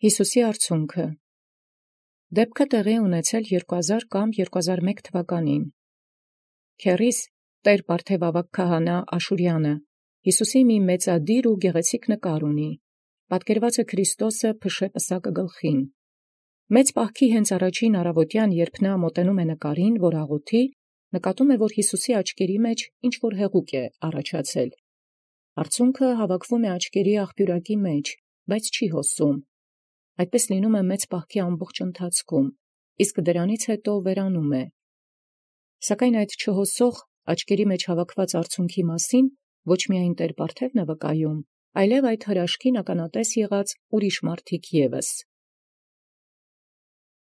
Յիսուսի արցունքը դեպքը տեղի ունեցել 2000 կամ 2001 թվականին։ Քերիս տեր Պարթև քահանա Աշուրյանը Յիսուսի մի մեծադիր ու գեղեցիկ նկար ունի, պատկերված է Քրիստոսը փշե պսակը գլխին։ Մեծ պահքի հենց առաջին առավոտյան, երբ նա մոտենում է նկարին, որ աղոթի, նկատում է, որ Յիսուսի աչքերի մեջ ինչ-որ հեղուկ է առաջացել։ Արցունքը հավաքվում է աչքերի աղբյուրակի մեջ, բայց չի հոսում։ Այդպես լինում է մեծ պահքի ամբողջ ընթացքում, իսկ դրանից հետո վերանում է։ Սակայն այդ չհոսող աչքերի մեջ հավաքված արցունքի մասին ոչ միայն տեր Պարթևն է վկայում, այլև այդ հրաշքին ականատես եղած ուրիշ մարդիկ ևս։